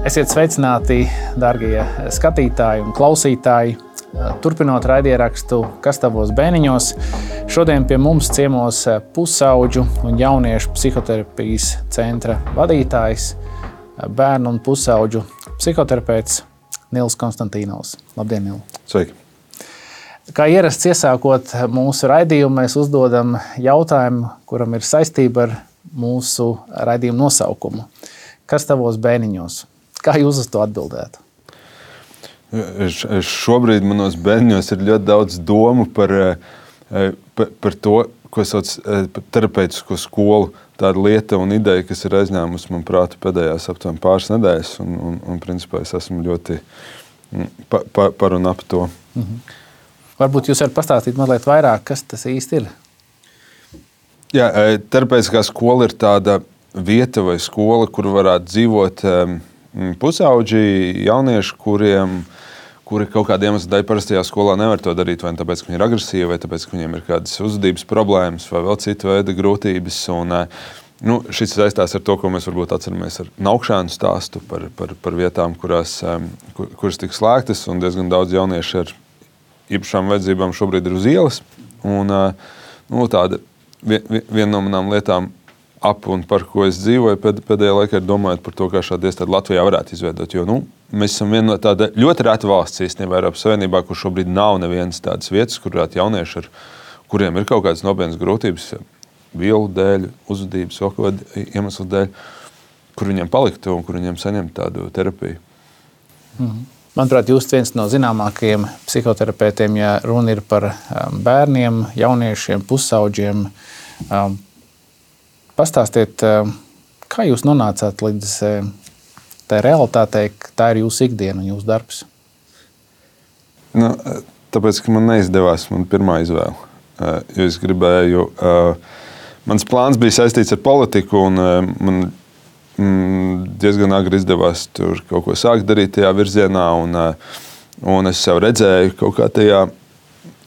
Esiet sveicināti, dārgie skatītāji un klausītāji. Turpinot raidierakstu Kas tavos bērniņos, šodien pie mums ciemos pusaudžu un jauniešu psihoterapijas centra vadītājs, bērnu un pusaudžu psihoterapeits Nils Konstantīnovs. Labdien, Nil! Sveiki! Kā ierasts iesākot mūsu raidījumu, mēs uzdodam jautājumu, kuram ir saistība ar mūsu raidījumu nosaukumu. Kas tavos bērniņos? Kā jūs uz to atbildētu? Šobrīd manos bērniņos ir ļoti daudz domu par to, ko sauc terapeitisko skolu. Tāda lieta un ideja, kas ir aizņēmusi man prātu pēdējās aptuveni pāris nedēļas. Un principā es esmu ļoti par un ap to. Varbūt jūs varat pastāstīt mazliet vairāk, kas tas īsti ir? Jā, terapeitiskā skola ir tāda vieta vai skola, kur varētu dzīvot pusauģi, jaunieši, kuri kaut kādiem iemeslu dēļ parastajā skolā nevar to darīt, vai tāpēc, ka viņi ir agresīvi, vai tāpēc, ka viņiem ir kādas uzvedības problēmas, vai vēl citu veidu grūtības. Šis saistās ar to, ko mēs varbūt atceramies ar Naukšēnu stāstu par vietām, kuras tika slēgtas, un diezgan daudz jaunieši ar īpašām vajadzībām šobrīd ir uz ielas. Tāda viena no manām lietām, ap un par ko es dzīvoju pēdējā laikā, ir domājot par to, kā šādu iestādi Latvijā varētu izveidot. Jo mēs esam viena no tāda ļoti reta valsts īstenībā Eiropas Savienībā, kur šobrīd nav nevienas tādas vietas, kur varētu jaunieši, kuriem ir kaut kādas nopietnas grūtības, vielu dēļ, uzvedības, vēl kaut kādu iemeslu dēļ, kur viņiem paliktu un kur viņiem saņemt tādu terapiju. Manuprāt, jūs viens no zināmākajiem psihoterapeitiem, ja runa ir par bērniem, jauniešiem, pusauģiem. Pastāstiet, kā jūs nonācāt līdz tai realitātei, ka tā ir jūsu ikdiena un jūsu darbs? Tāpēc, ka man neizdevās man pirmā izvēle. Jo es gribēju, mans plāns bija saistīts ar politiku, un man diezgan agri izdevās tur kaut ko sākt darīt tajā virzienā, un es sev redzēju kaut kā tajā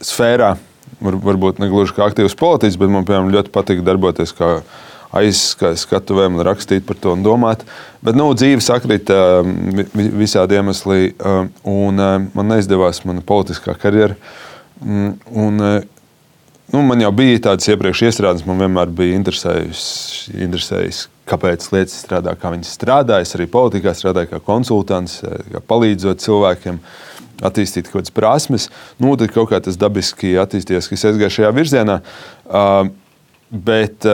sfērā, varbūt negluži kā aktīvs politiķis, bet man, piemēram, ļoti patika darboties kā aizskatuvēm un rakstīt par to un domāt. Bet, dzīve sakrita visādi iemesli, un man neizdevās mana politiskā karjera. Man jau bija tādas iepriekš iestrādes, man vienmēr bija interesējis, kāpēc lietas strādā, kā viņas strādā. Es arī politikā strādāju kā konsultants, kā palīdzot cilvēkiem attīstīt kaut kādas prasmes. Tad kaut kā tas dabiski attīstījās, ka es aizgāju šajā virzienā. Bet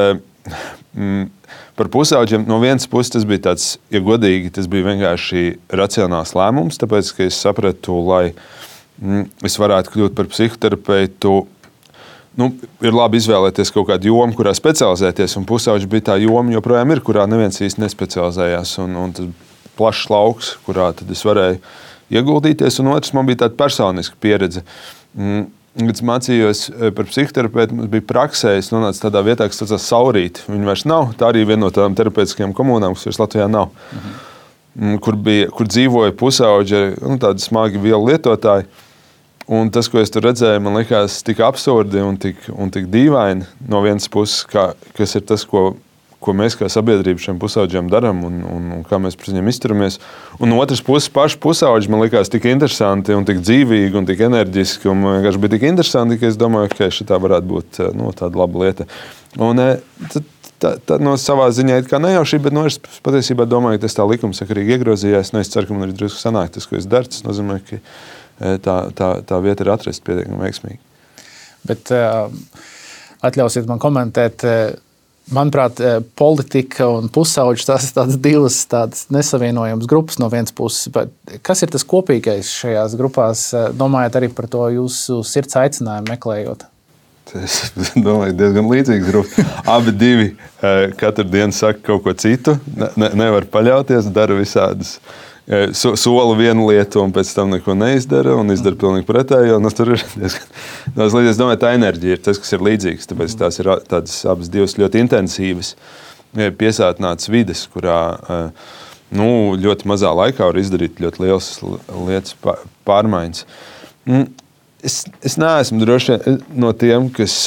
par pusauģiem no vienas puses tas bija tāds, ja godīgi, tas bija vienkārši racionāls lēmums, tāpēc, ka es sapratu, lai es varētu kļūt par psihoterapeitu, ir labi izvēlēties kaut kādu jomu, kurā specializēties, un pusauģi bija tā joma, joprojām ir, kurā neviens īsti nespecializējās, un tas plašs lauks, kurā tad es varēju ieguldīties, un otrs man bija tāda personiska pieredze. Kad es mācījos par psihoterapeitu, mums bija praksē, es nonācu tādā vietā, kas saucās Saurīti. Viņa vairs nav, tā arī viena no tādām terapeitiskajām komunām, kas vairs Latvijā nav. Kur dzīvoja pusauģi, tādi smagi vielu lietotāji. Un tas, ko es tur redzēju, man likās tik absurdi un tik dīvaini no vienas puses, kas ir tas, ko mēs kā sabiedrība šiem pusauģiem darām un kā mēs pret viņiem izturamies. Un no otras puses, paši pusauģi man likās tik interesanti un tik dzīvīgi un tik enerģiski. Un man vienkārši bija tik interesanti, ka es domāju, ka šitā varētu būt tāda laba lieta. Un tā no savā ziņā it kā nejaušība, bet es patiesībā domāju, ka tas tā likumsakarīgi iegrozījās. Es ceru, ka man ir drusku sanāk tas, ko es daru. Tas nozīmē, ka tā vieta ir atrasta pietiekami veiksmīgi. Bet atļausiet man komentēt. Manuprāt, politika un pusauģi tās ir divas nesavienojamas grupas no vienas puses. Bet kas ir tas kopīgais šajās grupās? Domājat arī par to jūsu sirds aicinājumu meklējot? Es domāju, diezgan līdzīgas grupas. Abi divi katru dienu saka kaut ko citu, nevar paļauties, dara visādas. Sola vienu lietu un pēc tam neko neizdara un izdara pilnīgi pretējo. Tur ir diezgan daudz līdzīgas. Es domāju, tā enerģija ir tas, kas ir līdzīgs. Tāpēc tās ir tādas abas divas ļoti intensīvas, piesātinātas vides, kurā ļoti mazā laikā var izdarīt ļoti lielas lietas pārmaiņas. Es neesmu droši no tiem, kas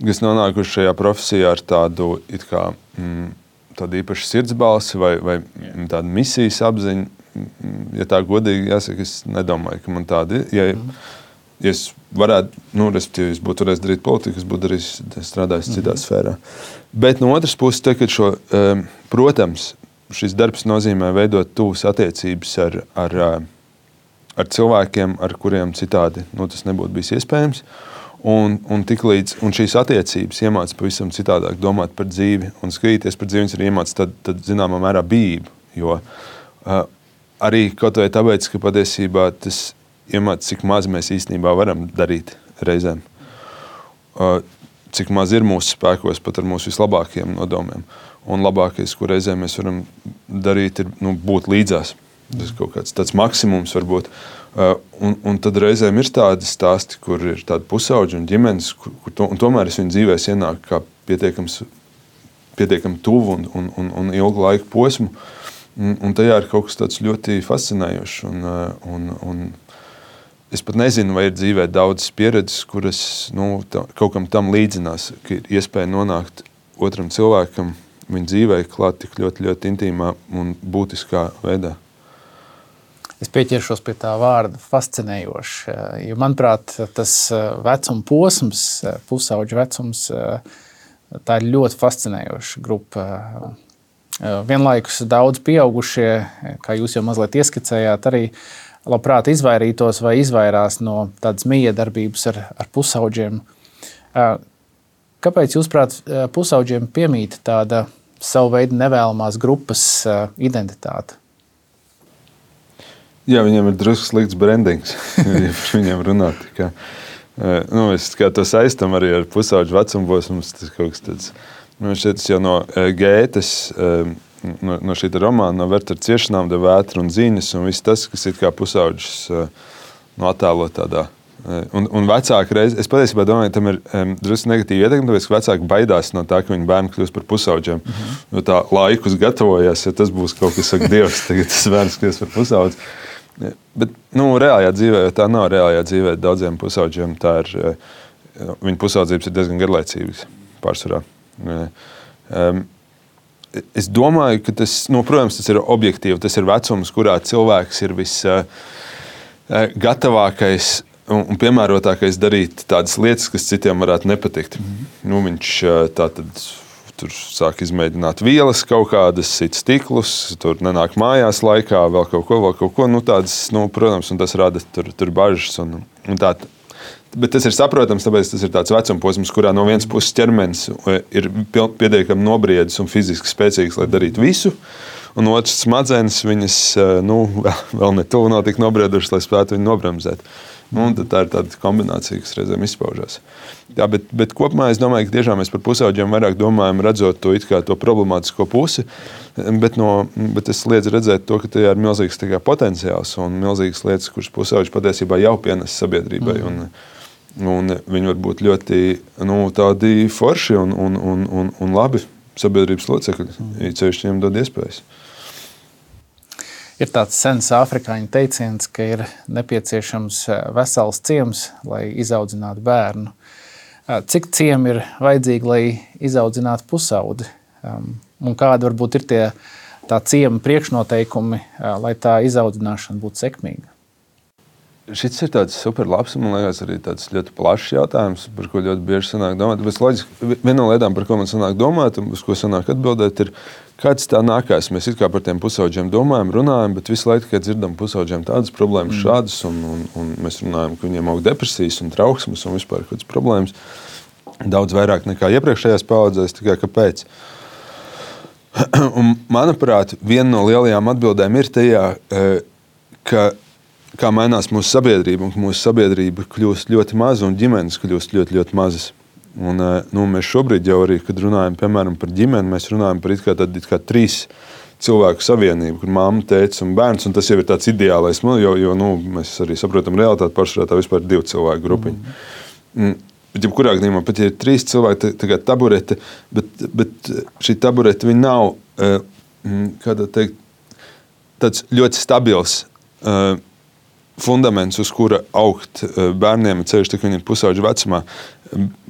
nonākuši šajā profesijā ar tādu tādu īpašu sirdsbalsi vai tādu misijas apziņu. ja tā godīgi jāsaka, es nedomāju, ka man tāda ir. Ja es varētu, respektīvi, es būtu varējis darīt politiku, es būtu strādājis citā sfērā. Bet no otras puses, protams, šis darbs nozīmē veidot tuvas attiecības ar cilvēkiem, ar kuriem citādi tas nebūtu bijis iespējams. Un šīs attiecības iemāca pavisam citādāk domāt par dzīvi un skatīties par dzīvi, arī iemāca tad zināmā mērā bijību. Jo arī kaut vai tāpēc, ka patiesībā tas iemāca, cik maz mēs īstenībā varam darīt reizēm. Cik maz ir mūsu spēkos pat ar mūsu vislabākajiem nodomiem. Un labākais, ko reizēm mēs varam darīt, ir būt līdzās. Tas kaut kāds tāds maksimums varbūt. Un tad reizēm ir tādi stāsti, kur ir tādi pusauģi un ģimenes, un tomēr es viņu dzīvēs ienāku kā pietiekami tuvu un ilgu laiku posmu. Un tajā ir kaut kas tāds ļoti fascinējošs. Un es pat nezinu, vai ir dzīvē daudzas pieredzes, kuras kaut kam tam līdzinās, ka ir iespēja nonākt otram cilvēkam viņa dzīvē klāt tik ļoti, ļoti intīmā un būtiskā veidā. Es pieķeršos pie tā vārda fascinējoši, jo, manuprāt, tas vecuma posms, pusauģu vecums, tā ir ļoti fascinējoša grupa. Vienlaikus daudz pieaugušie, kā jūs jau mazliet ieskicējāt, arī labprāt izvairītos vai izvairās no tādas miedarbības ar pusauģiem. Kāpēc, jūsuprāt, pusauģiem piemīt tāda savu veidu nevēlamās grupas identitāte? Jā, viņiem ir drusku slikts brandings, ja par viņiem runāt. Es kā to saistam arī ar pusauģu vecumposmus, tas kaut kas tāds. Šeit jau no Gētes, no šī romāna, no Wertera ciešanām, de vētra un ziņas, un viss tas, kas ir kā pusauģis attēlo tādā. Un vecāki reiz, es patiesībā domāju, tam ir drusku negatīva ietekme, tāpēc, ka vecāki baidās no tā, ka viņi bērni kļūst par pusauģiem. Jo tā laikus gatavojās, ja tas būs kaut kas, saka, Dievs, tagad tas bērns kļūst par pusauģi. Bet, reālajā dzīvē, jo tā nav reālajā dzīvē, daudziem pusauģiem tā ir, viņu pusaudzības ir diezgan garlaicīgas pārsvarā. Es domāju, ka tas, protams, tas ir objektīvi, tas ir vecums, kurā cilvēks ir gatavākais un piemērotākais darīt tādas lietas, kas citiem varētu nepatikt. Viņš tātad tur sāk izmēģināt vielas kaut kādas, sit stiklus, tur nenāk mājās laikā, vēl kaut ko. Tādas, protams, un tas rada tur bažas un tā. Bet tas ir saprotams, tāpēc tas ir tāds vecumposms, kurā no vienas puses ķermenis ir pietiekami nobriedis un fiziski spēcīgs, lai darītu visu, un otrs smadzenes viņas vēl ne tuvu nav tik nobriedušas, lai spētu viņu nobremzēt. Tā ir tāda kombinācija, kas reizēm izpaužās. Jā, bet kopumā es domāju, ka tiešām mēs par pusauģiem vairāk domājam, redzot to it kā to problemātisko pusi, bet es liedzu redzēt to, ka tajā ir milzīgs potenciāls un milzīgas lietas, kuras pusauģi patiesībā jau pienes sabiedrībai. Un viņi var būt ļoti tādi forši un labi sabiedrības locekļi, ja ceļš viņiem dod iespējas. Ir tāds sens afrikāņu teiciens, ka ir nepieciešams vesels ciems, lai izaudzinātu bērnu. Cik ciemi ir vajadzīgi, lai izaudzinātu pusaudzi? Un kādi varbūt ir tā ciema priekšnoteikumi, lai tā izaudzināšana būtu sekmīga? Šis ir tāds super labs, man liekas, arī tāds ļoti plašs jautājums, par ko ļoti bieži sanāk domāt. Bet loģiski, viena no lietām, par ko man sanāk domāt, un uz ko sanāk atbildēt, ir, kāds tā nākās. Mēs it kā par tiem pusauģiem domājam, runājam, bet visu laiku, kad dzirdam pusauģiem tādas problēmas šādas, un mēs runājam, ka viņiem aug depresijas un trauksmes un vispār kādas problēmas, daudz vairāk nekā iepriekšējās paudzēs, tikai kāpēc. Un, manuprāt, viena no lielajām atbildēm ir tajā, kā mainās mūsu sabiedrība, un ka mūsu sabiedrība kļūst ļoti maza un ģimenes kļūst ļoti, ļoti mazas. Un, mēs šobrīd jau arī, kad runājam, piemēram, par ģimeni, mēs runājam par it kā 3 cilvēku savienību, kur mamma, tētis un bērns, un tas jau ir tāds ideālais, jo mēs arī saprotam realitāti, pārsvarā tā vispār 2 cilvēku grupiņa. Bet jebkurā gadījumā pat ja ir 3 cilvēki, tā kā taburete, bet šī taburete viņa nav, kādā teikt, tāds ļoti stabils fundaments, uz kura augt bērniem ceļš, tā kā viņi ir pusauģu vecumā.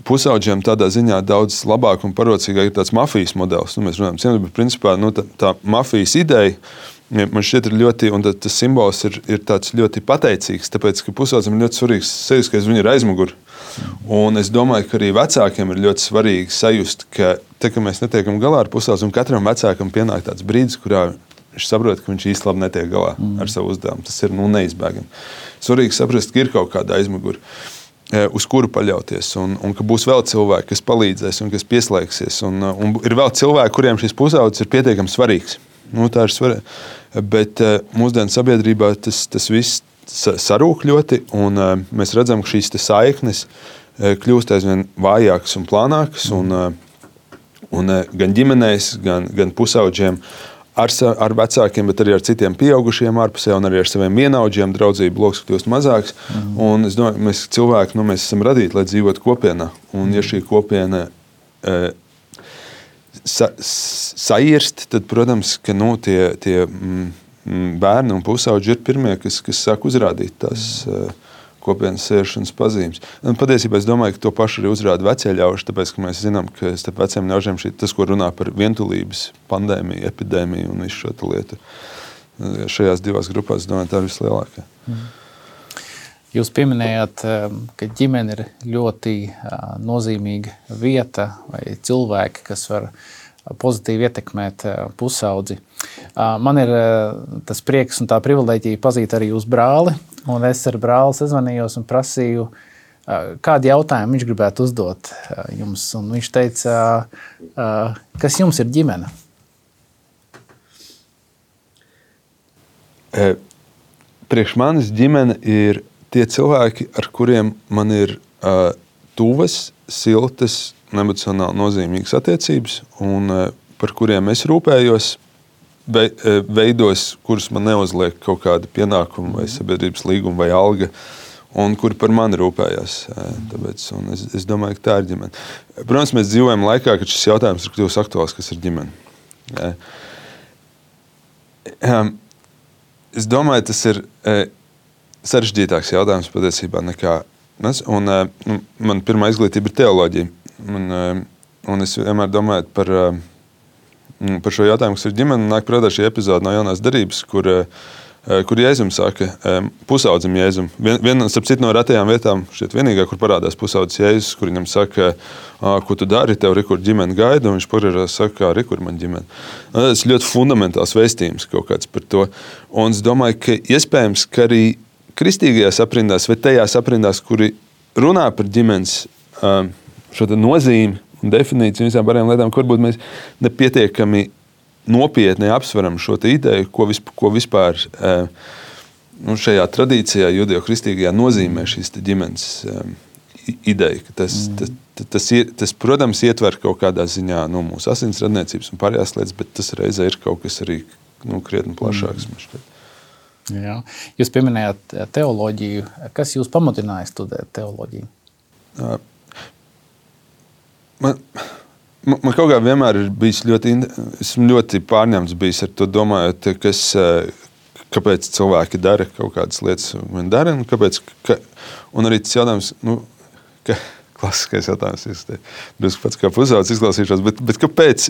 Pusauģiem tādā ziņā daudz labāk un parocīgāk ir tāds mafijas modelis. Mēs runājam, bet principā tā mafijas ideja man šķiet, ir ļoti, un tas simbols ir tāds ļoti pateicīgs, tāpēc, ka pusaudzim ir ļoti svarīgs sajust, ka viņi ir aizmuguri. Un es domāju, ka arī vecākiem ir ļoti svarīgi sajust, ka tā, ka mēs netiekam galā ar pusaudzi, un katram vecākam pienāk tāds brīdis, kurā viņš saprot, ka viņš īsti labi netiek galā ar savu uzdevumu. Tas ir neizbēgami. Svarīgi saprast, ka ir kaut kāda aizmuguri, uz kuru paļauties, un ka būs vēl cilvēki, kas palīdzēs un kas pieslēgsies. Un ir vēl cilvēki, kuriem šis pusaudzis ir pietiekami svarīgs. Tā ir svarīga. Bet mūsdienu sabiedrībā tas viss sarūk ļoti, un mēs redzam, ka šīs saiknes kļūst aizvien vājākas un plānākas, un gan ģimenēs, gan pusauģiem, ar vecākiem, bet arī ar citiem pieaugušiem ārpusē, un arī ar saviem vienaudžiem draudzību loks kļūst mazāks. Un es domāju, mēs cilvēki, mēs esam radīti, lai dzīvotu kopienā. Un ja šī kopiena sairst, tad, protams, ka tie bērni un pusauģi ir pirmie, kas sāk uzrādīt tās kopienas sēšanas pazīmes. Un patiesībā es domāju, ka to pašu arī uzrāda vecie ļauži, tāpēc, ka mēs zinām, ka starp veciem ļaužiem tas, ko runā par vientulības pandēmiju, epidēmiju un visu šo lietu. Šajās divās grupās, es domāju, tā ir vislielākā. Jūs pieminējāt, ka ģimene ir ļoti nozīmīga vieta vai cilvēki, kas var pozitīvi ietekmēt pusaudzi. Man ir tas prieks un tā privileģija pazīt arī uz brāli, un es ar brāli sazvanījos un prasīju, kādu jautājumu viņš gribētu uzdot jums. Un viņš teica, kas jums ir ģimene? Priekš manis ģimene ir tie cilvēki, ar kuriem man ir tuvas, siltas, emocionāli nozīmīgas attiecības, un par kuriem es rūpējos, veidos, kurus man neuzliek kaut kāda pienākuma vai sabiedrības līguma vai alga, un kuri par mani rūpējās. Tāpēc, un es domāju, ka tā ir ģimene. Protams, mēs dzīvojam laikā, kad šis jautājums ir kļuvis aktuāls, kas ir ģimene. Es domāju, tas ir sarežģītāks jautājums patiesībā nekā mēs. Un man pirmā izglītība ir teoloģija. Un es vienmēr domāju par šo jautājumu, kas ir ģimene. Nāk prātā šī epizode no Jaunās derības, kur Jēzum saka, pusaudzim Jēzum. Starp citu no retajām vietām, šeit vienīgā, kur parādās pusaudzis Jēzus, kur viņam saka, ko tu dari, tev rekur ģimene gaida, un viņš pagriežās saka, rekur man ģimene. Tas ir ļoti fundamentāls vēstījums kaut kāds par to. Un es domāju, ka iespējams, ka arī kristīgajās aprindās vai tajās aprindās, kuri runā par ģimenes šo nozīmi un definīciju un visām pārējām lietām, kur varbūt mēs nepietiekami nopietni apsveram šo ideju, ko vispār šajā tradīcijā, judeo-kristīgajā nozīmē šīs ģimenes ideja. Tas, protams, ietver kaut kādā ziņā mūsu asinsradniecības un pārējās lietas, bet tas reizē ir kaut kas arī krietni plašāks. Jā. Jūs pieminējāt teoloģiju. Kas jūs pamudināja studēt teoloģiju? Man kaut kā vienmēr ir bijis esmu ļoti pārņemts bijis ar to domājot, kāpēc cilvēki dara kaut kādas lietas, un dara, un arī tas jautājums, klasiskais jautājums, drusku pats kā pusaudzis izklausīšos, bet kāpēc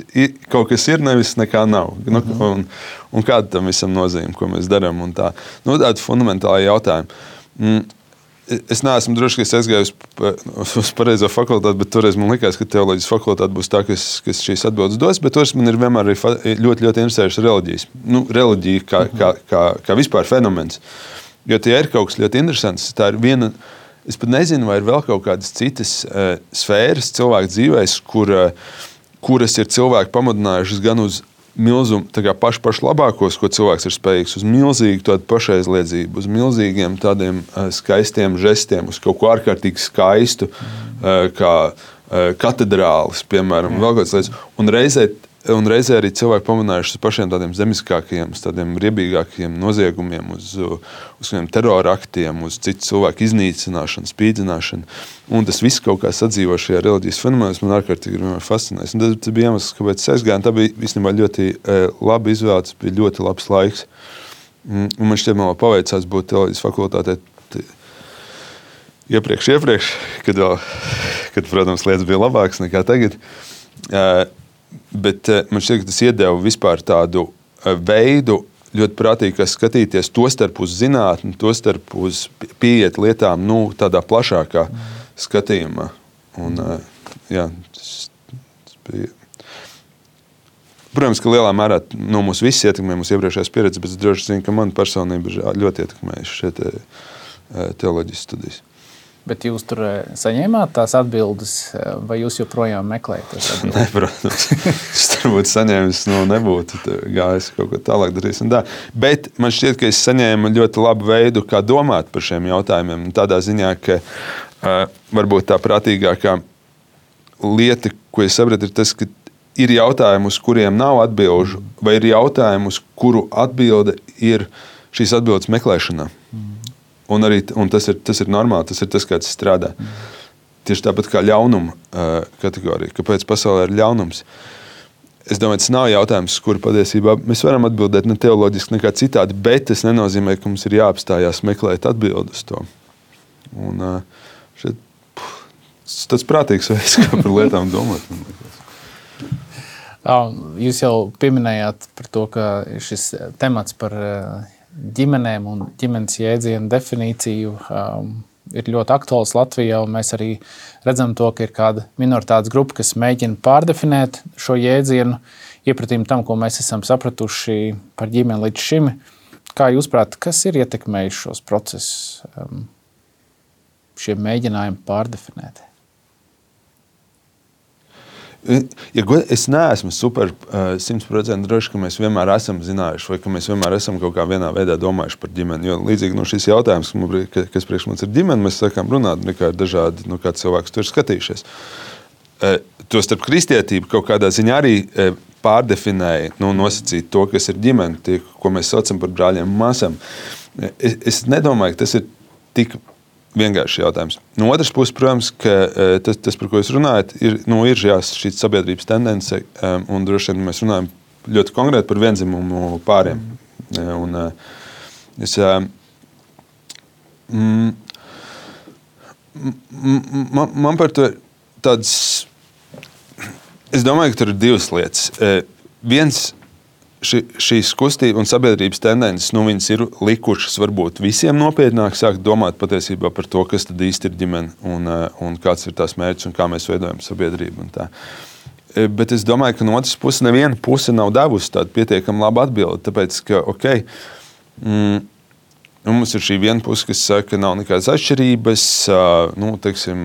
kaut kas ir, nevis nekā nav, un kāda tam visam nozīme, ko mēs darām, un tā. Tādi fundamentāli jautājumi. Es neesmu droši, ka es aizgāju uz pareizo fakultāti, bet toreiz man likās, ka teoloģijas fakultāte būs tā, kas šīs atbildes dos, bet toreiz man ir vienmēr ļoti interesējušas reliģijas. Reliģija kā vispār fenomens. Jo tie ir kaut kas ļoti interesants. Tā ir viena, es pat nezinu, vai ir vēl kaut kādas citas sfēras cilvēku dzīvēs, kuras ir cilvēki pamudinājušas gan uz milzumu, pašu labākos, ko cilvēks ir spējīgs, uz milzīgu tādu pašaizliedzību, uz milzīgiem tādiem skaistiem žestiem, uz kaut ko ārkārtīgi skaistu, kā katedrālis, piemēram, vēl kāds lietas. Un reizē arī cilvēki pamudinājuši uz pašiem tādiem zemiskākajiem, tādiem riebīgākajiem noziegumiem, uz kādiem terora aktiem, uz citu cilvēku iznīcināšanu, spīdzināšanu. Un tas viss kaut kā sadzīvo šajā reliģijas fenomenā, man ārkārtīgi ir fascinējis. Un tas bija iemesls, kāpēc es aizgāju, un tā bija īstenībā ļoti labi izvēlēts, bija ļoti labs laiks. Un man šķiet, man vēl paveicās būt teoloģijas fakultātē iepriekš, kad, protams, lietas bija labākas nekā tagad. Bet man šķiet, ka tas iedeva vispār tādu veidu, ļoti prātīgi skatīties tostarp uz zinātni, tostarp uz pieiet lietām tādā plašākā skatījumā. Un, jā, tas bija. Protams, ka lielā mērā mūs visi ietekmē mūsu iepriekšējās pieredzes, bet es droši zinu, ka man personība ļoti ietekmējuši šie teoloģijas studijas. Bet jūs tur saņēmāt tās atbildes, vai jūs joprojām meklējat tās atbildes? Nē, protams. Es tur būtu saņēmis, nebūtu gājis kaut ko tālāk darījis. Bet man šķiet, ka es saņēmu ļoti labu veidu, kā domāt par šiem jautājumiem. Tādā ziņā, ka varbūt tā prātīgākā lieta, ko es sapratu, ir tas, ka ir jautājumi, uz kuriem nav atbilžu, vai ir jautājumi, uz kuru atbilde ir šīs atbildes meklēšanā. Un tas ir normāli, tas ir tas, kā tas strādā. Tieši tāpat kā ļaunuma kategorija. Kāpēc pasaulē ir ļaunums? Es domāju, tas nav jautājums, uz kuru patiesībā mēs varam atbildēt ne teoloģiski, nekā citādi, bet tas nenozīmē, ka mums ir jāapstājās meklēt atbildi uz to. Un tas prātīgs veids, kā par lietām domāt. Jūs jau pieminējāt par to, ka šis temats par ģimenēm un ģimenes jēdzienu definīciju ir ļoti aktuāls Latvijā, un mēs arī redzam to, ka ir kāda minoritātes grupa, kas mēģina pārdefinēt šo jēdzienu, iepratīm tam, ko mēs esam sapratuši par ģimeni līdz šim. Kā jūs prāt, kas ir ietekmējis šos procesus, šie mēģinājumi pārdefinēt? Ja es neesmu 100% droši, ka mēs vienmēr esam zinājuši, vai ka mēs vienmēr esam kaut kā vienā veidā domājuši par ģimeni. Jo līdzīgi šis jautājums, kas priekš mums ir ģimene, mēs sākām runāt, nekā ir dažādi, kā cilvēks tur ir skatījušies. To starp kristietību kaut kādā ziņā arī pārdefinēja, nosacīt to, kas ir ģimene, tie, ko mēs saucam par brāļiem un māsām. Es nedomāju, ka tas ir tik vienkārši jautājums. No otras puses, protams, ka tas, par ko jūs runājat, ir šī sabiedrības tendence, un droši vien mēs runājam ļoti konkrēti par vienzimumu pāriem. Un man par to tāds, es domāju, ka tur ir divas lietas. Viens, šīs kustība un sabiedrības tendences, viņas ir likušas varbūt visiem nopietnāk sākt domāt patiesībā par to, kas tad īsti ir ģimene un kāds ir tās mērķis un kā mēs veidojam sabiedrību un tā. Bet es domāju, ka no otras puses neviena puse nav devusi tādu pietiekami labu atbildi, tāpēc, ka, mums ir šī viena puse, kas saka, ka nav nekādas atšķirības, teiksim,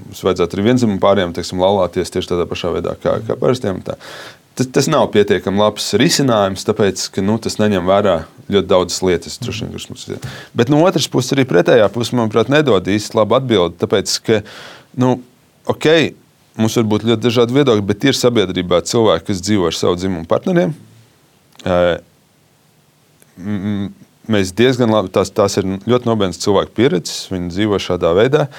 mums vajadzētu arī vienzimumu pāriem, teiksim, laulāties tieši tādā pašā veidā kā parastiem un tā. Tas nav pietiekami labs risinājums, tāpēc, ka tas neņem vērā ļoti daudzas lietas. Bet no otras puses, arī pretējā puse, manuprāt, nedod īsti labu atbildi, tāpēc, ka, mums var būt ļoti dažādi viedokļi, bet ir sabiedrībā cilvēki, kas dzīvo ar savu dzimumu partneriem. Mēs diezgan labi, tās ir ļoti nopietnas cilvēku pieredzes, viņi dzīvo šādā veidā.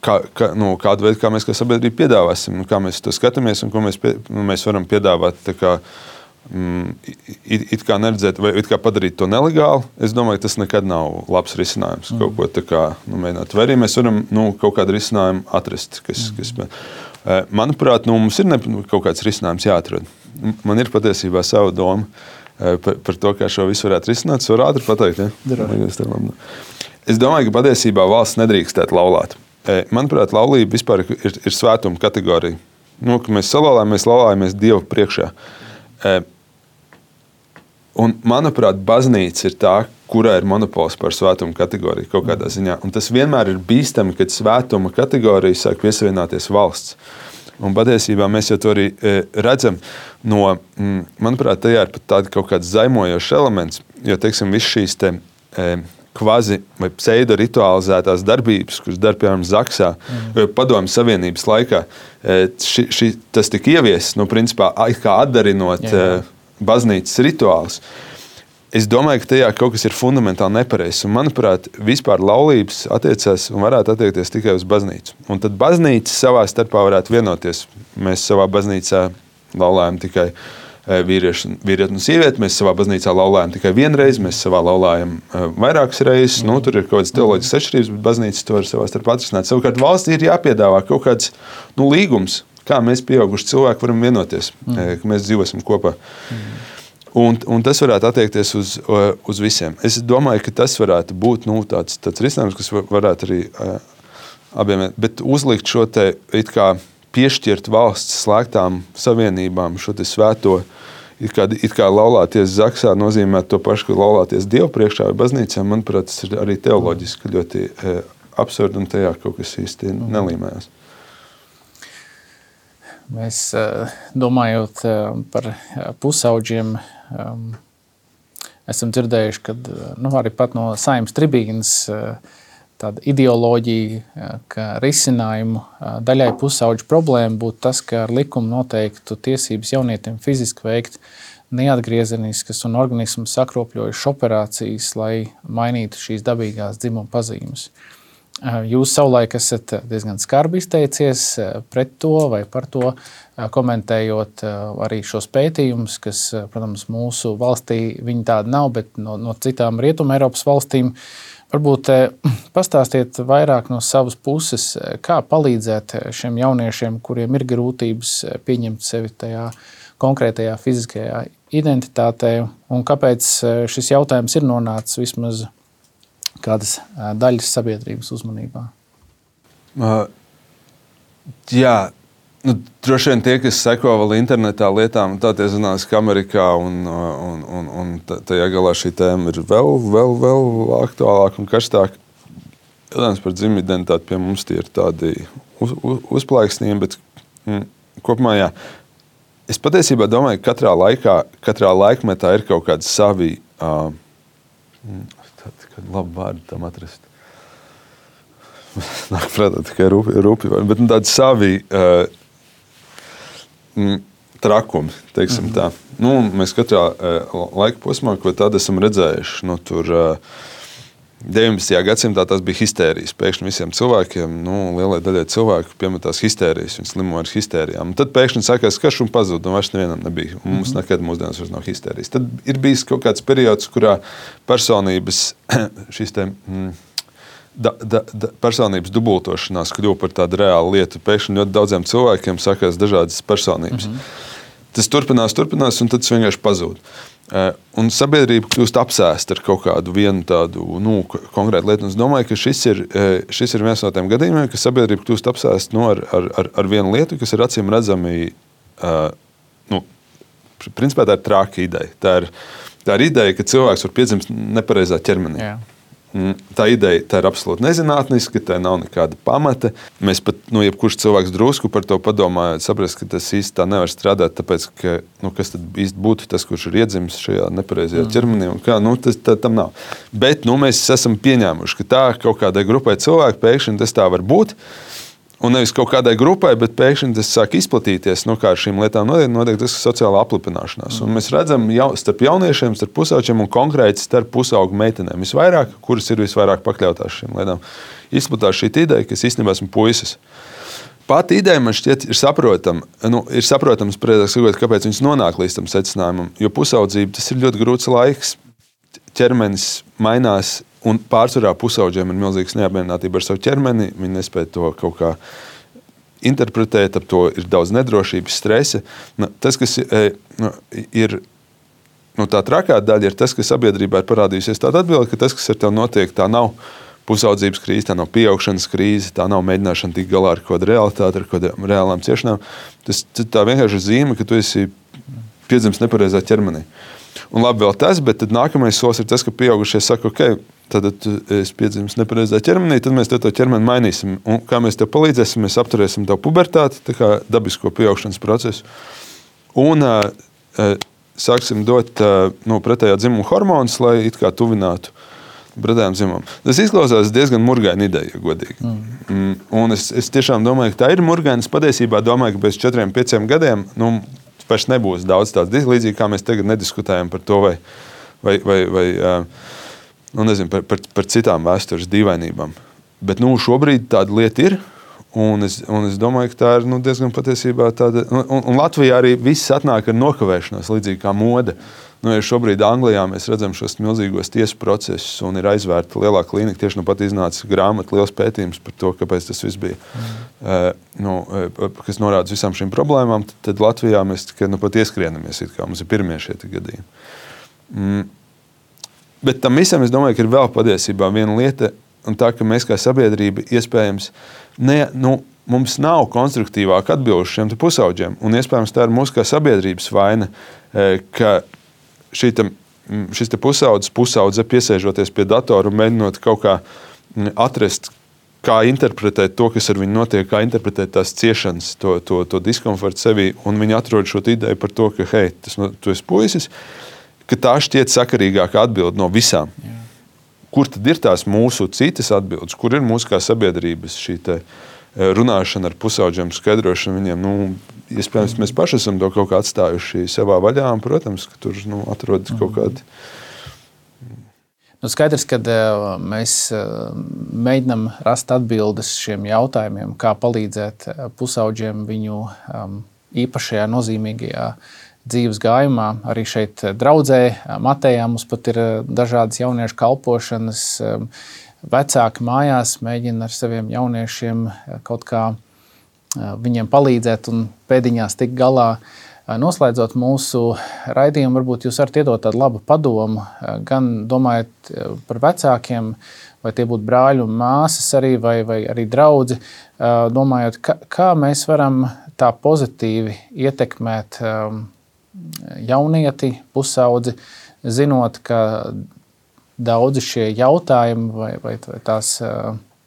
Kādu veidu, kā mēs kā sabiedrība piedāvāsim, kā mēs to skatāmies un ko mēs varam piedāvāt, tā kā it kā neredzēt vai it kā padarīt to nelegāli. Es domāju, ka tas nekad nav labs risinājums. Kaut ko tā kā mēģināt. Vai arī mēs varam kaut kādu risinājumu atrast. Manuprāt, mums ir kaut kāds risinājums jāatrod. Man ir patiesībā sava doma par to, kā šo visu varētu risināt. Es varu ātri pateikt, ja? Es domāju, ka patiesībā valsts nedrīkstētu laulāt. Manuprāt, laulība vispār ir svētuma kategorija. Ka mēs laulājamies Dievu priekšā. Un, manuprāt, baznīca ir tā, kurā ir monopols par svētuma kategoriju kaut kādā ziņā. Un tas vienmēr ir bīstami, kad svētuma kategorija sāk piesavienoties valsts. Un patiesībā mēs jau to arī redzam manuprāt, tajā ir pat tāda kaut kāds zaimojošs elements, jo, teiksim, viss šīs kvazi vai pseido ritualizētās darbības, kuras dar, piemēram, Zaksā, Padomju Savienības laikā, tas tika ieviests, principā, kā atdarinot baznīcas rituālus. Es domāju, ka tajā kaut kas ir fundamentāli nepareizs. Un, manuprāt, vispār laulības attiecās un varētu attiekties tikai uz baznīcu. Un tad baznīca savā starpā varētu vienoties. Mēs savā baznīcā laulājam tikai vīrieti un sievieti. Mēs savā baznīcā laulājam tikai vienreiz, mēs savā laulājam vairākas reizes. Tur ir kaut kādas teoloģiskas atšķirības, bet baznīca to var savā starpā atrisināt. Savukārt valstī ir jāpiedāvā kaut kāds līgums, kā mēs pieauguši cilvēki varam vienoties, ka mēs dzīvosim kopā. Un tas varētu attiekties uz visiem. Es domāju, ka tas varētu būt tāds risinājums, kas varētu arī abiem, bet uzlikt šo te it kā piešķirt valsts slēgtām savienībām šo te svēto, it kā laulāties zaksā nozīmē to pašu, ka laulāties Dievu priekšā vai baznīcā, manuprāt, tas ir arī teoloģiski ļoti absurdi un tajā kaut kas īsti nelīmējās. Mēs domājot par pusauģiem, esam dzirdējuši, ka arī pat no Saeimas tribīnes tāda ideoloģija, ka risinājumu daļai pusauģu problēmu būtu tas, ka ar likumu noteiktu tiesības jaunietim fiziski veikt neatgriezeniskas un organismu sakropļojušas operācijas, lai mainītu šīs dabīgās dzimuma pazīmes. Jūs savulaik esat diezgan skarbi izteicies pret to vai par to, komentējot arī šos pētījumus, kas, protams, mūsu valstī viņi tādi nav, bet no citām Rietuma Eiropas valstīm. Varbūt pastāstiet vairāk no savas puses, kā palīdzēt šiem jauniešiem, kuriem ir grūtības pieņemt sevi tajā konkrētajā fiziskajā identitātē, un kāpēc šis jautājums ir nonācis vismaz kādas daļas sabiedrības uzmanībā? Jā, droši vien tie, kas seko vēl internetā lietām, tā tie zinās, ka Amerikā un tajā galā šī tēma ir vēl aktuālāka un karstāka. Jautājums par dzimumu identitāti pie mums tie ir tādi uzplaiksnījumi, bet kopumā jā. Es patiesībā domāju, ka katrā laikmetā ir kaut kādi savi kādu labu vārdu tam atrast. Nāk prātā tikai rupi vārdi, bet tādi savi trakumi, teiksim tā. Mēs katrā laika posmā, ko tad esam redzējuši, tur 19. gadsimtā tas bija histērijas. Pēkšņi visiem cilvēkiem, lielai daļai cilvēku piemetās histērijas, viņi slimo ar histērijām. Un tad pēkšņi sākās karš un pazūd, un vairs nevienam nebija. Un mums nekad mūsdienās vairs nav histērijas. Tad ir bijis kaut kāds periods, kurā personības šīs personības dubultošanās kļuva par tādu reālu lietu. Pēkšņi ļoti daudziem cilvēkiem sākās dažādas personības. Tas turpinās, un tad tas vienkārši pazūd. Un sabiedrība kļūst apsēsta ar kaut kādu vienu tādu konkrētu lietu. Un es domāju, ka šis ir viens no tiem gadījumiem, ka sabiedrība kļūst apsēsta ar vienu lietu, kas ir acīm redzami, principā tā ir trāka ideja. Tā ir ideja, ka cilvēks var piedzimt nepareizā ķermenī. Jā. Tā ideja tā ir absolūti nezinātniska, tā nav nekāda pamata. Mēs pat, jebkurš cilvēks drusku par to padomājot, saprast, ka tas īsti tā nevar strādāt, tāpēc, ka, kas tad īsti būtu tas, kurš ir iedzimis šajā nepareizajā ķermenī, un kā, tas tam nav. Bet, mēs esam pieņēmuši, ka tā kaut kādai grupai cilvēku pēkšņi tas tā var būt, un nevis kaut kādai grupai, bet pēkšņi tas sāk izplatīties, kā ar šīm lietām notiek tas sociālā aplipināšanās. Un mēs redzam starp jauniešiem, starp pusauģiem un konkrēti starp pusaugu meitenēm visvairāk, kuras ir visvairāk pakļautās šīm lietām. Izplatās šī ideja, kas īstenībā esmu puisis. Pati ideja man šķiet ir saprotams, kāpēc viņas nonāk līdz tam secinājumam, jo pusaudzība tas ir ļoti grūts laiks, ķermenis mainās. Un pārsvarā pusauģiem ir milzīgs neapmierinātība ar savu ķermeni. Viņi nespēja to kaut kā interpretēt, ap to ir daudz nedrošības, stresa. Tas, kas ir tā trakā daļa, ir tas, ka sabiedrībā ir parādījusies tāda atbilde, ka tas, kas ar tev notiek, tā nav pusaudzības krīze, tā nav pieaugšanas krīze, tā nav mēģināšana tikt galā ar kaut kādu realitāti, ar kaut kādām reālām ciešanām. Tas tā vienkārši zīme, ka tu esi piedzimis nepareizā ķermenī. Un labi vēl tas, bet tad nākamais solis ir tas, ka pieaugušie saka, ok, tad es piedzimis nepareizā ķermenī, tad mēs to ķermeni mainīsim. Un kā mēs tev palīdzēsim, mēs apturēsim tavu pubertāti, tā kā dabisko pieaugšanas procesu. Un sāksim dot pretējā dzimuma hormonus, lai it kā tuvinātu pretējām dzimumam. Tas izklausās diezgan murgaina ideja, ja godīgi. Un es tiešām domāju, ka tā ir murgaina. Es patiesībā domāju, ka pēc 4-5 gadiem, vairs nebūs daudz tāds līdzīgi, kā mēs tagad nediskutējam par to, par citām vēstures dīvainībām. Bet šobrīd tāda lieta ir, un es domāju, ka tā ir diezgan patiesībā tāda. Un Latvijā arī viss atnāk ar nokavēšanos, līdzīgi kā moda. ja šobrīd Anglijā mēs redzam šos milzīgos tiesu procesus un ir aizvērta lielā klīnika, tieši pat iznāca grāmata, liels pētījums par to, kāpēc tas viss bija, kas norāda visām šīm problēmām, tad Latvijā mēs tikai pat ieskrienamies, it kā mums ir pirmie šie gadījumi. Bet tam visam, es domāju, ka ir vēl patiesībā viena lieta, un tā, ka mēs kā sabiedrība iespējams mums nav konstruktīvāk atbilžu šiem pusauģiem, un iespējams tā ir mūsu kā sabiedrības vaina, ka šis pusaudze piesēžoties pie datora un mēģinot kaut kā atrast, kā interpretēt to, kas ar viņu notiek, kā interpretēt tās ciešanas, to diskomfortu sevī, un viņi atrod šo ideju par to, ka, hei, tu esi puisis, ka tā šķiet sakarīgākā atbilde no visām. Jā. Kur tad ir tās mūsu citas atbildes? Kur ir mūsu kā sabiedrības šī runāšana ar pusauģiem, skaidrošana viņiem? Iespējams, mēs paši esam to kaut kā atstājuši savā vaļā, un, protams, ka tur atrodas kaut kādi. Skaidrs, ka mēs mēģinam rast atbildes šiem jautājumiem, kā palīdzēt pusauģiem viņu īpašajā nozīmīgajā dzīves gājumā. Arī šeit draudzē Matejā mums pat ir dažādas jauniešu kalpošanas. Vecāki mājās mēģina ar saviem jauniešiem kaut kā viņiem palīdzēt un pēdiņās tikt galā. Noslēdzot mūsu raidījumu, varbūt jūs varat iedot tādu labu padomu, gan domājot par vecākiem, vai tie būtu brāļi un māsas arī, vai arī draudzi, domājot, kā mēs varam tā pozitīvi ietekmēt jaunieti, pusaudzi, zinot, ka daudzi šie jautājumi vai tās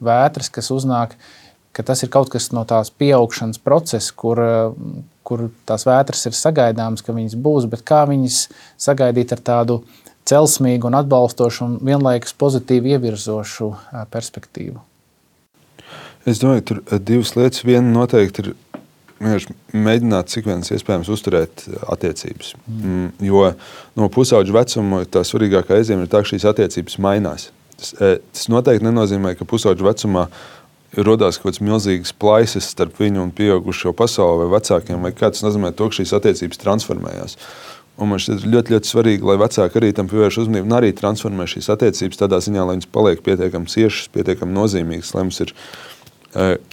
vētras, kas uznāk, ka tas ir kaut kas no tās pieaugšanas procesa, kur tās vētras ir sagaidāmas, ka viņas būs, bet kā viņas sagaidīt ar tādu celsmīgu un atbalstošu un vienlaikus pozitīvi ievirzošu perspektīvu? Es domāju, tur divas lietas. Viena noteikti ir mēģināt cik viens iespējams uzturēt attiecības. Jo no pusauģu vecuma tā svarīgākā iezīme ir tā, ka šīs attiecības mainās. Tas noteikti nenozīmē, ka pusauģu vecumā rodās kaut kāds milzīgs plaisas starp viņu un pieaugušo pasauli vai vecākiem, vai kā tas nozīmē to, ka šīs attiecības transformējās. Un man šķiet ļoti, ļoti svarīgi, lai vecāki arī tam pievērš uzmanību un arī transformē šīs attiecības tādā ziņā, lai viņas paliek pietiekami ciešas, pietiekami nozīmīgas, lai mums ir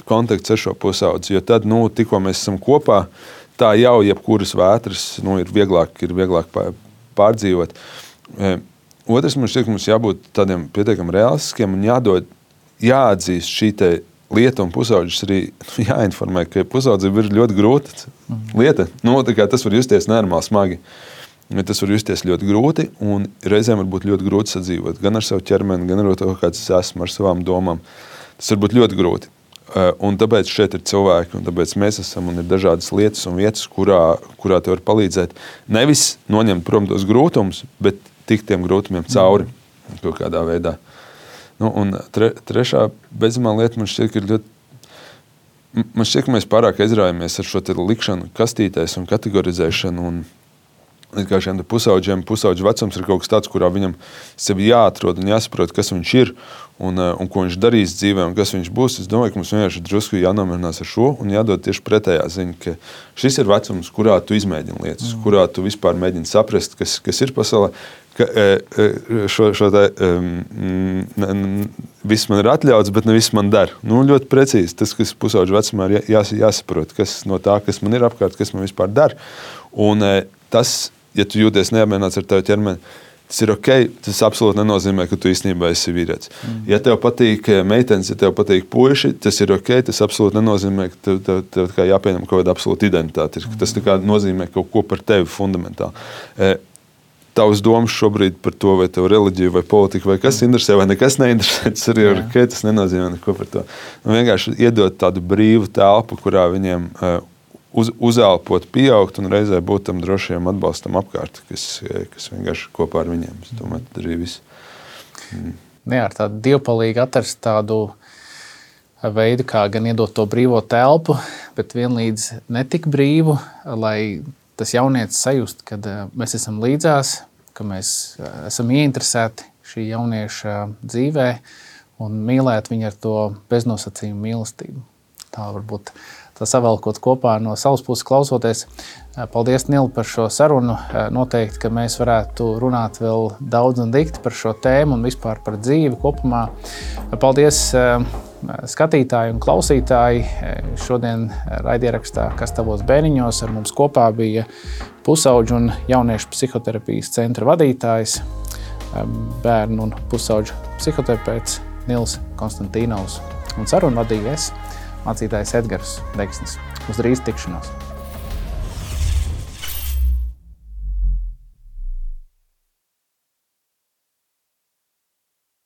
kontakts ar šo pusaudzi, jo tad, tikko mēs esam kopā, tā jau jebkuras vētras ir vieglāk pārdzīvot. Otrs, man šķiet, ka mums jābūt tādiem pietiekami realistiskiem un jāatzīst šī lieta un pusauģis arī jāinformē, ka pusaudzība ir ļoti grūta lieta. Tas var justies nenormāli smagi. Tas var justies ļoti grūti un reizēm var būt ļoti grūti sadzīvot gan ar savu ķermeni, gan ar to, kāds es esmu, ar savām domām. Tas var būt ļoti grūti. Un tāpēc šeit ir cilvēki, un tāpēc mēs esam, un ir dažādas lietas un vietas, kurā te var palīdzēt. Nevis noņemt prom tos grūtumus, bet tikt tiem grūtumiem cauri kaut kādā veidā. Un trešā beidzamā lieta man šķiet, ka ir ļoti. Man šķiet, ka mēs pārāk aizraujamies ar šo likšanu kastītēs un kategorizēšanu. Un kā šiem pusauģu vecums ir kaut kas tāds, kurā viņam sevi jāatrod un jāsaprot, kas viņš ir un ko viņš darīs dzīvē un kas viņš būs. Es domāju, ka mums vienkārši drusku jānomierinās ar šo un jādod tieši pretējā ziņa, ka šis ir vecums, kurā tu izmēģini lietas, kurā tu vispār mēģini saprast, kas ir pasaulē. Viss man ir atļauts, bet ne viss man der. Ļoti precīzi tas, kas pusauģu vecumā ir jāsaprot, kas no tā, kas man ir apkārt, kas man vispār der. Un tas, ja tu jūties neapmierināts ar tavu ķermeni, tas ir ok. Tas absolūti nenozīmē, ka tu īstenībā esi vīrietis. Ja tev patīk meitenes, ja tev patīk puiši, tas ir ok. Tas absolūti nenozīmē, ka tev kā jāpieņem kaut kāda absolūta identitāte. Tas nozīmē kaut ko par tevi fundamentāli. Tavas domas šobrīd par to, vai tev reliģija, vai politika, vai kas interesē, vai nekas neinteresē, tas arī ir ok, tas nenozīmē neko par to. Vienkārši iedot tādu brīvu telpu, kurā viņiem uzelpot, pieaugt un reizē būt tam drošiem atbalstam apkārt, kas vienkārši kopā ar viņiem. Es domāju, tad arī viss. Jā, ar tādu dievpalīgi atrast tādu veidu, kā gan iedot to brīvo telpu, bet vienlīdz netik brīvu, lai tas jaunietis sajust, kad mēs esam līdzās, ka mēs esam ieinteresēti šī jaunieša dzīvē un mīlēt viņu ar to beznosacījumu mīlestību. Tā varbūt savalkot kopā no savas puses klausoties. Paldies, Nil, par šo sarunu. Noteikti, ka mēs varētu runāt vēl daudz un dikti par šo tēmu un vispār par dzīvi kopumā. Paldies skatītāji un klausītāji. Šodien raidierakstā Kas tavos bēniņos ar mums kopā bija pusauģu un jauniešu psihoterapijas centra vadītājs, bērnu un pusauģu psihoterapeits Nils Konstantīnovs. Un sarunu vadīja es, mācītājs Edgars Deksnis. Uz drīz tikšanos!